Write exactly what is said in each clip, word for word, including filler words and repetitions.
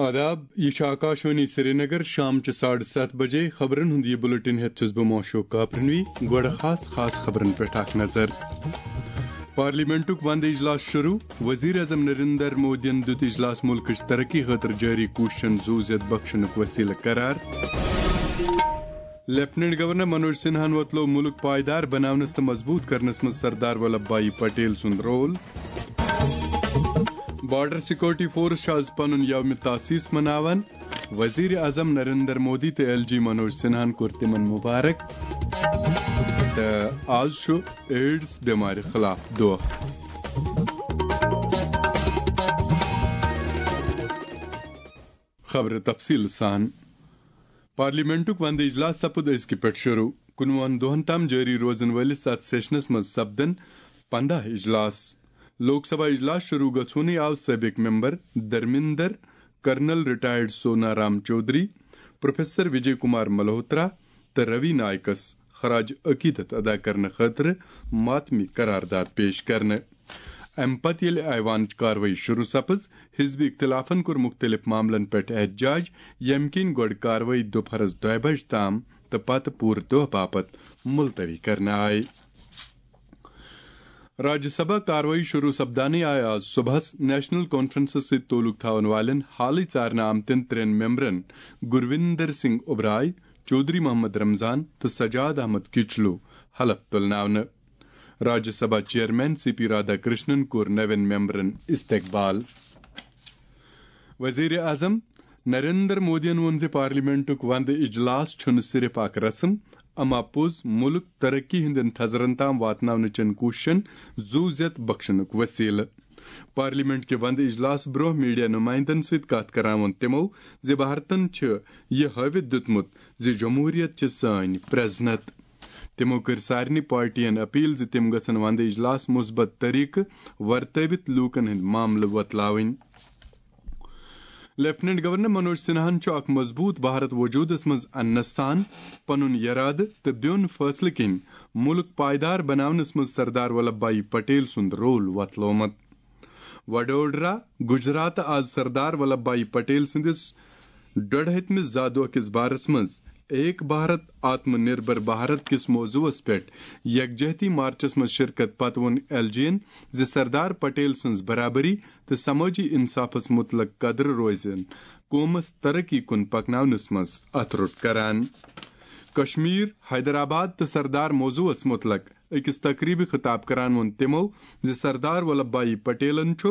آداب، یہِ چھُ آکاشوانی سرینگر۔ شام چہِ ساڑٕ ستھ بجے خبرن ہُنٛد یہِ بُلٹن ہٮ۪تھ چھُس بہٕ موشوق کاپرنوی۔ گۄڈٕ خاص خاص خبرن پٮ۪ٹھ اکھ نظر۔ پارلیمنٹُک وندٕ اجلاس شروع۔ وزیر اعظم نریندر مودیَن دیُت اجلاس مُلکٕچ ترقی خٲطرٕ جٲری کوٗششن زُو زیٚد بخشنُک وسیلہٕ قرار۔ لیفٹیننٹ گورنر منوج سنہاہن وۄتلوو مُلک پائیدار بناونس تہٕ مضبوط کرنس منٛز سردار ولبھ بھائی پٹیل سُنٛد رول۔ بارڈر سیکورٹی فورس چھُ آز پنُن یوم تاسیس مناوان۔ وزیر اعظم نریندر مودی تہٕ ایل جی منوج سنہاہن کوٚر تِمن مبارک۔ تہٕ آز چھُ ایڈز بٮ۪مارِ خلاف دۄہ۔ خبرٕ تفصیٖل سان۔ پارلیمنٹُک وندٕ اجلاس سپُد أزکہِ پٮ۪ٹھ شروع۔ کُنوُہن دۄہن تام جٲری روزن وٲلِس اتھ سیشنس منٛز سپدن پنداہ اجلاس۔ لوک سبھا اجلاس شروع گژھوُنٕے آو سٲبق ممبر دھرمیندر، کرنل ریٹائرڈ سونا رام چودھری، پروفیسر وجے کمار ملہوترا تہٕ روی نائکس خراج عقیدت ادا کرنہٕ خٲطرٕ ماتمی قرارداد پیش کرنہٕ۔ امہِ پتہٕ ییٚلہِ ایوانٕچ کاروٲیی شروع سپٕز، حزبی اختلافن کوٚر مُختٔلِف معاملن پٮ۪ٹھ احتجاج، ییٚمہِ کِنۍ گۄڈٕ کاروٲیی دُپہرس دۄیہِ بجہِ تام تہٕ پتہٕ پوٗرٕ دۄہ باپتھ ملتوی کرنہٕ آیہِ۔ راجیہ سبھا کاروٲیی شروع سپدانٕے آیہِ آز صبحس نیشنل کانفرنسس سۭتۍ تعلق تھاون والٮ۪ن حالٕے ژارنہٕ آمتٮ۪ن ترٛٮ۪ن ممبرن گرویندر سنگھ اوبرائے، چودھری محمد رمضان تہٕ سجاد احمد کچلو حلف تُلناونہٕ۔ Rajya Sabha chairman C P Radhakrishnan کوٚر نوٮ۪ن ممبرن استقبال۔ وزیر اعظم نریندر مودیَن ووٚن زِ پارلیمنٹُک وندٕ اجلاس چھُنہٕ صرف اکھ رسم، اما پوٚز مُلک ترقی ہٕنٛدٮ۪ن تھزرن تام واتناونہٕ چٮ۪ن کوٗششن زُو زیٚد بخشنُک وسیلہٕ۔ پارلیمنٹ کہِ وندٕ اجلاس برونٛہہ میڈیا نمائندن سۭتۍ کتھ کران ووٚن تِمو زِ بھارتن چھُ یہِ ہٲوِتھ دیُتمُت زِ جمہوریت چھِ سٲنۍ پرزنت۔ تِمو کٔر سارنٕے پارٹین اپیل زِ تِم گژھن وندٕ اجلاس مثبت طریقہٕ ورتٲوِتھ لوٗکن ہٕنٛدۍ معاملہٕ وۄتلاوٕنۍ۔ لیفٹیننٹ گورنر منوج سنہاہن چھُ اکھ مضبوط بھارت وجودس منٛز اننس سان پنُن یرادٕ تہٕ بیوٚن فٲصلہٕ کِنۍ مُلک پائیدار بناونس منٛز سردار ولبھ بھائی پٹیل سُنٛد رول وۄتلومُت۔ وڈودرا، گجرات۔ آز سردار ولبھ بھائی پٹیل سٕنٛدِس ڈۄڈ ہتمِس زا دۄہ کِس بارس منٛز ایک بھارت آتم نربھر بھارت کِس موضوعس پٮ۪ٹھ یکجہتی مارچس منٛز شرکت پتہٕ ووٚن ایل جی ین زِ سردار پٹیل سٕنٛز برابری تہٕ سمٲجی انصافس مُتعلق قدر روزن قومس ترقی کُن پکناونس منٛز اتھٕ روٚٹ کران۔ کشمیر، حیدرآباد تہٕ سردار موضوعس مُتعلق أکِس تقریبہِ خطاب کران ووٚن تِمو زِ سردار ولبھ بھائی پٹیلن چھُ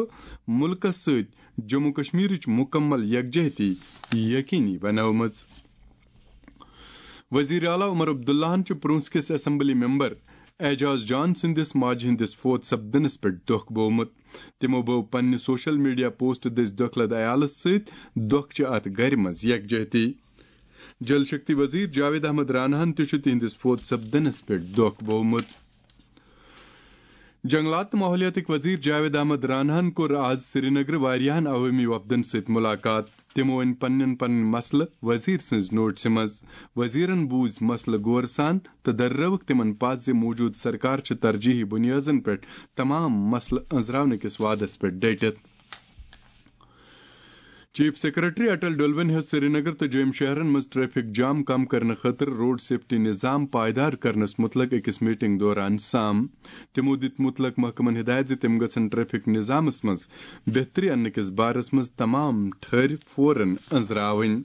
مُلکس سۭتۍ جموں کشمیرٕچ مُکمل یکجہتی یقینی بنٲومٕژ۔ وزیر اعلیٰ عمر عبداللہن چھُ پرونس کِس اسمبلی ممبر اعجاز جان سٕنٛدِس ماجہِ ہٕنٛدِس فوت سپدنس پٮ۪ٹھ دۄکھ بوومُت۔ تِمو بٲو پننہِ سوشل میڈیا پوسٹ دٔسۍ دۄکھٕ لد عیالس سۭتۍ دۄکھٕ چہِ اتھ گرِ منٛز یکجہتی۔ جل شکتی وزیر جاوید احمد راناہن تہِ چھُ تِہنٛدِس فوت سپدنس پٮ۪ٹھ دۄکھ بوومُت۔ جنگلات تہٕ ماحولیاتٕکۍ وزیر جاوید احمد راناہن کوٚر آز سرینگرٕ واریاہن عوٲمی وفدن سۭتۍ مُلاقات۔ تِمو أنۍ پننٮ۪ن پنٕنۍ مسلہٕ وزیر سٕنٛز نوٹسہِ منٛز۔ وزیرن بوٗزۍ مسلہٕ غور سان تہٕ دررٲوٕکھ تِمن پَز زِ موٗجوٗدٕ سرکار چھِ ترجیحی بُنیٲدن پٮ۪ٹھ تمام مسلہٕ أنٛزراونہٕ کِس وعدس پٮ۪ٹھ ڈٔٹِتھ۔ چیف سیکرٹری اٹل ڈولون ہیٚژ سرینگر تہٕ جوٚم شہرن منٛز ٹریفک جام کم کرنہٕ خٲطرٕ روڈ سیفٹی نظام پائیدار کرنس متعلق أکِس میٹنگ دوران سام۔ تِمو دِتۍ متعلق محکمن ہدایت زِ تِم گژھن ٹریفک نظامس منٛز بہتری اننہٕ کِس بارس منٛز تمام ٹھٔہرۍ فوراً أنٛزراوٕنۍ۔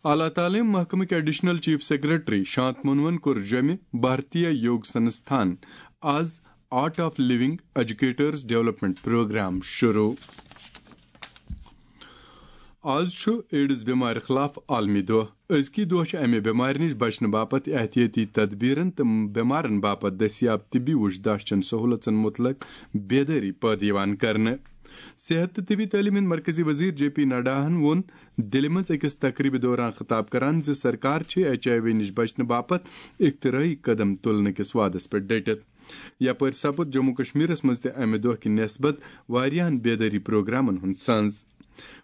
اعلیٰ تعلیٖم محکمٕکۍ ایڈیشنل چیف سیکرٹری شانتمونون کوٚر جوٚمہِ بھارتیہ یوگ سنستھان آز art of living educators development programme شروع۔ آز چھُ ایڈز بٮ۪مارِ خلاف عالمی دۄہ۔ أزکی دۄہ چھِ امہِ بٮ۪مارِ نِش بچنہٕ باپتھ احتیاطی تدبیرن تہٕ بٮ۪مارن باپتھ دٔستیاب طبی وُچھ داشچن سہولژن مُتعلق بیدٲری پٲدٕ یِوان کرنہٕ۔ صحت تہٕ طبی تعلیٖم ہٕنٛدۍ مرکزی وزیر جے پی نڈاہن ووٚن دِلہِ منٛز أکِس تقریبہِ دوران خطاب کران زِ سرکار چھِ ایچ آئی وی نِش بچنہٕ باپتھ اختراعی قدم تُلنہٕ کِس وعدس پٮ۪ٹھ ڈٔٹِتھ۔ یپٲرۍ سپُد جموں کشمیرس منٛز تہِ امہِ دۄہ کہِ نسبت واریاہن بیدٲری پروگرامن ہُنٛد سنز۔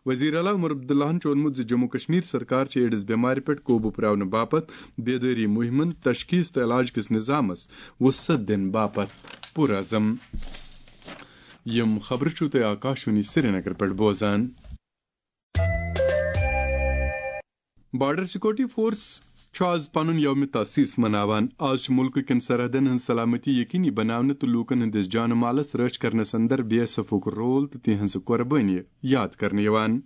وزیر اعلیٰ عمر عبداللہن چھُ ووٚنمُت زِ جموں کشمیر سرکار چھِ ایڈز بٮ۪مارِ پٮ۪ٹھ قوبوٗ پراونہٕ باپتھ بیدٲری مُہِمن، تشخیص تہٕ علاج کِس نظامس وُسعت دِنہٕ باپتھ پُرعزم۔ یِم خبرٕ چھِو تُہۍ آکاشوانی سرینگر پٮ۪ٹھ بوزان۔ بارڈر سیکورٹی فورس چھُ آز پنُن یوم تاسیس مناوان۔ آز چھُ مُلکہٕ کٮ۪ن سرحدن ہٕنٛز سلامتی یقینی بناونہٕ تہٕ لوٗکن ہٕنٛدِس جان و مالس رٲچھ کرنس اندر بی ایس ایفُک رول تہٕ تِہنٛز قۄربٲنی یاد کرنہٕ یِوان۔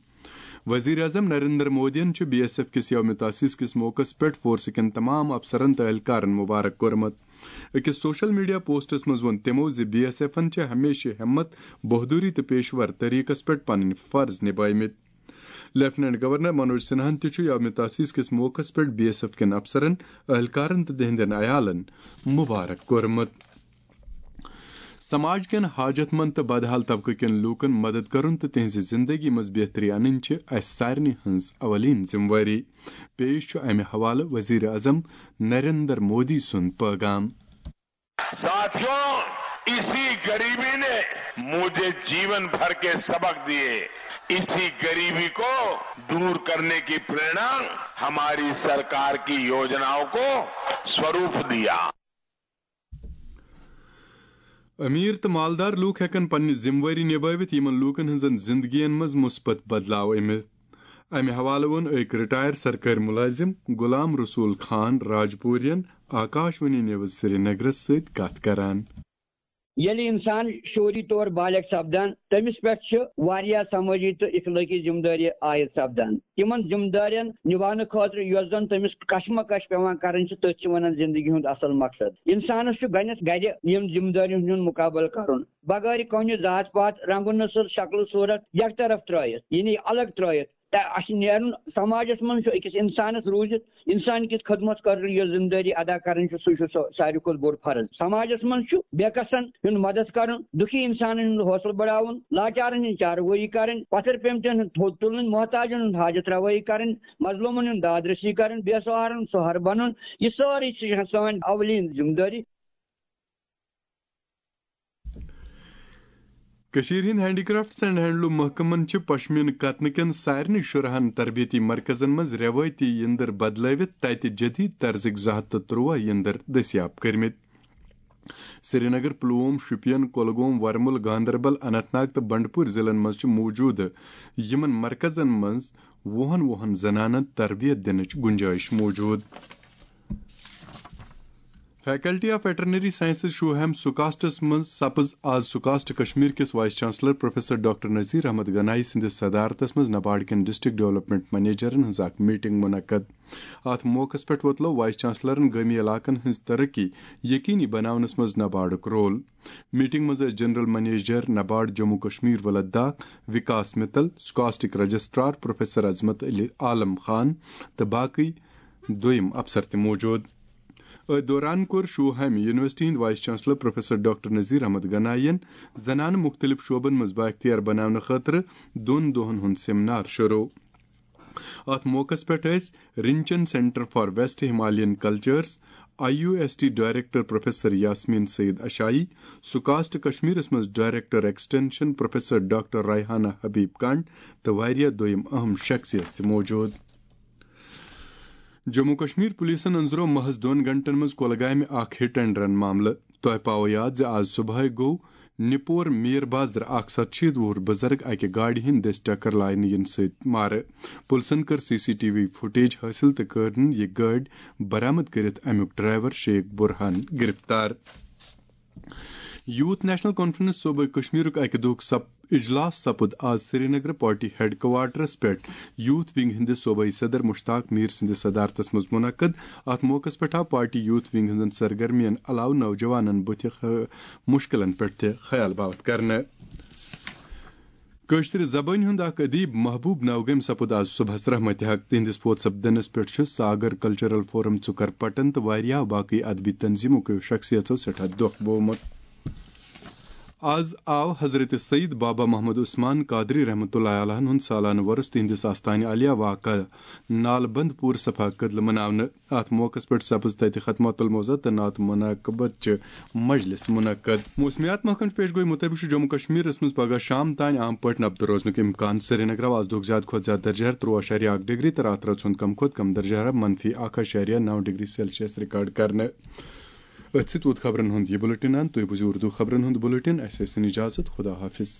وزیر اعظم نریندر مودیَن چھُ بی ایس ایف کِس یوم تاسیس کِس موقعس پٮ۪ٹھ فورسہٕ کٮ۪ن تمام افسرن تہٕ اہلکارن مبارک کوٚرمُت۔ أکِس سوشل میڈیا پوسٹس منٛز ووٚن تِمو زِ بی ایس ایفن چھِ ہمیشہِ ہمت، بہادری تہٕ پیشور طریقس پٮ۪ٹھ پنٕنۍ فرض نبھٲومٕتۍ۔ لیفٹیننٹ گورنر منوج سنہاہن تہِ چھُ یوم تاسیس کِس موقعس پٮ۪ٹھ بی ایس ایف کٮ۪ن افسرن، اہلکارن تہٕ تِہنٛدٮ۪ن عیالن مبارک کوٚرمُت۔ سماج کٮ۪ن حاجت مند تہٕ بدحال طبقہٕ کٮ۪ن لوٗکن مدد کرُن تہٕ تِہنٛزِ زندگی منٛز بہتری انٕنۍ چھِ اسہِ سارنٕے ہٕنٛز اولین ذمہٕ وٲری۔ پیش چھُ امہِ حوالہٕ وزیر اعظم نریندر مودی سُنٛد پٲغام۔ साथियों, इसी गरीबी ने मुझे जीवन भर के सबक दिए। इसी गरीबी को दूर करने की प्रेरणा हमारी सरकार की योजनाओं को स्वरूप दिया। امیر تہٕ مالدار لوٗکھ ہٮ۪کن پننہِ ذمہٕ وٲری نبٲوِتھ یِمن لوٗکن ہٕنٛزن زندگین منٛز مثبت بدلاو أنِتھ۔ امہِ حوالہٕ ووٚن أکۍ رٹائر سرکٲرۍ مُلٲزِم غلام رسول خان راجپورین آکاش وانی نیوز سرینگرس سۭتۍ کتھ کران۔ ییٚلہِ انسان شعوری طور بالغ سپدان، تٔمِس پٮ۪ٹھ چھِ واریاہ سمٲجی تہٕ اخلٲقی ذمہٕ دٲری عائد سپدان۔ تِمن ذمہٕ دارین نباونہٕ خٲطرٕ یۄس زن تٔمِس کشمکش پٮ۪وان کرٕنۍ چھِ، تٔتھۍ چھِ ونان زندگی ہُنٛد اصل مقصد۔ انسانس چھُ گۄڈنٮ۪تھ گرِ یِم ذمہٕ دٲرین ہُنٛد مقابلہٕ کرُن، بغٲرِ کُنہِ ذات پات، رنگ و نسل، شکل و صورت یکطرف ترٲیِتھ، یعنی الگ ترٲیِتھ۔ تہٕ اَسہِ نیرُن سماجس منٛز چھُ أکِس انسانس روٗزِتھ، انسان کِس خدمت خٲطرٕ یۄس ذمہٕ دٲری ادا کرٕنۍ چھِ، سُہ چھُ سُہ ساروی کھۄتہٕ بوٚڑ فرض۔ سماجس منٛز چھُ بے کسن ہُنٛد مدد کرُن، دُکھی انسانن ہُنٛد حوصلہٕ بڑاوُن، لاچارن ہٕنٛز چاروٲیی کرٕنۍ، پتھر پیمتن ہُنٛد تھوٚد تُلُن، محتاجن ہُنٛد حاجت روائی کرٕنۍ، مظلومن ہُنٛد دادرسی کرٕنۍ، بے سہارن سہارٕ بنُن۔ یہِ سٲرٕے چھِ سٲنۍ اولین ذمہٕ دٲری۔ کٔشیٖرِ ہٕنٛدۍ ہینڈی کرافٹس اینڈ ہینڈلوم محکمن چھِ پشمیٖنہٕ کتنہٕ کٮ۪ن سارنٕے شُراہن تربیتی مرکزن منٛز رٮ۪وٲیتی یِنٛدٕر بدلٲوِتھ تتہِ جدید طرزٕکۍ زٕ ہتھ تہٕ ترٛوہ یِنٛدٕر دٔستیاب کٔرمٕتۍ۔ سرینگر، پلووم، شوپین، کۄلگوم، ورمُل، گاندربل، اننت ناگ تہٕ بنڈپور ضلعن منٛز چھِ موٗجوٗدٕ یِمن مرکزن منٛز وُہن وُہن زنانن تربیت دِنٕچ گُنجٲیِش موٗجوٗد۔ فیکلٹی آف ویٹرنری سائنسز شوہیم سکاسٹس منٛز سپٕز آز سکاسٹ کشمیر کِس vice chancellor professor doctor Nazir Ahmad Ganai سٕنٛدِس صدارتس منٛز نبارڈ کٮ۪ن ڈسٹرکٹ ڈیولپمنٹ منیجرن ہٕنٛز اکھ میٹنگ منعقد۔ اتھ موقعس پٮ۪ٹھ ووتلو وائس چانسلرن گٲمی علاقن ہٕنٛز ترقی یقینی بناونس منٛز نبارڈُک رول۔ میٹنگ منٛز ٲسۍ جنرل منیجر نبارڈ جموں کشمیر و لداخ وکاس متل، سکاسٹک رجسٹرار پروفیسر عظمت علی عالم خان تہٕ باقٕے دوٚیِم افسر تہِ موٗجوٗد۔ أتھۍ دوران کوٚر شوہامہِ یونیورسٹی ہٕنٛدۍ vice chancellor professor doctor Nazir Ahmad Ganai ین زنانہٕ مُختٔلِف شعبن منٛز بااختیار بناونہٕ خٲطرٕ دۄن دۄہن ہُنٛد سیمینار شروع۔ اتھ موقعس پٮ۪ٹھ ٲسۍ Rinchen centre for west Himalayan cultures, I U S T director professor Yasmeen Saeed Ashai, SKUAST کشمیرس منٛز director extension professor doctor Rehana Habib Kant تہٕ واریاہ دوٚیِم اہم شخصیت تہِ موٗجوٗد۔ جموں کشمیر پولیسن أنٛزرو محض دۄن گھنٹن منٛز کۄلگامہِ اکھ ہٹ اینڈ رن معاملہٕ۔ تۄہہِ پاوو یاد زِ آز صبحٲے گوٚو نِپور میر بازر اکھ ستشیٖتھ وُہُر بُزرگ اکہِ گاڑِ ہٕنٛدِ دٔسۍ ٹکر لاینہٕ یِنہٕ سۭتۍ مارٕ۔ پُلسن کٔر C C T V footage حٲصِل تہٕ کٔرٕن یہِ گٲڑۍ برآمد کٔرِتھ امیُک ڈرائیور شیخ برہان گرفتار۔ یوتھ نیشنل کانفرنس صوبہ کشمیرُک اکہِ دۄہُک سپ-، اجلاس سپُد آز سرینگر پارٹی ہیڈ کوارٹرس پٮ۪ٹھ یوتھ ونگ ہٕنٛدِس صوبائی صدر مشتاق میر سٕنٛدِس صدارتس منٛز منعقد۔ اتھ موقعس پٮ۪ٹھ آو پارٹی یوتھ ونگ ہٕنٛزن سرگرمین علاوٕ نوجوانن بُتھِ خ-، مُشکِلن پٮ۪ٹھ تہِ خیال باوتھ کرنہٕ۔ کٲشرِ زبٲنۍ ہُنٛد اکھ ادیب محبوب نوگٲمۍ سپُد آز صبحس رحمتِ حق۔ تِہنٛدِس فوت سپدنس پٮ۪ٹھ چھُ ساگر کلچرل فورم ژُکر پٹن تہٕ واریاہو باقٕے ادبی تنظیمو کیو شخصیژو سٮ۪ٹھاہ دۄکھ بوومُت۔ آز آو حضرت سید بابا محمد عثمان قادری رحمتہ اللہ علیہ ہُنٛد سالانہٕ وۄرُس تِہنٛدِس آستانہِ عالیہ واقع نالبند پور صفا کدلہٕ مناونہٕ۔ اتھ موقعس پٮ۪ٹھ سپٕز تتہِ ختمۃ الموضع تہٕ نعت مناقبت چہِ مجلس منعقد۔ موسمیات محکمہٕ چہِ پیش گوئی مطٲبق چھُ جموں کشمیرس منٛز پگہہ شام تام عام پٲٹھۍ نبتہٕ روزنُک امکان۔ سرینگرٕ آو آز دۄہُک زیادٕ کھۄتہٕ زیادٕ درجہٕ حرارت ترٛوٚوُہ اعشاریہ اکھ ڈگری تہٕ راتہٕ رٲژ ہُنٛد کم کھۄتہٕ کم درجہٕ حرارت منفی اکھ اعشاریہ نو ڈگری سیلسیس ریکارڈ کرنہٕ۔ أتھۍ سۭتۍ ووت خبرن ہُنٛد یہِ بُلٹن اند۔ تُہۍ بوٗزِو اردو خبرن ہُنٛد بُلٹن۔ اسہِ ٲسِن اجازت۔ خدا حافظ۔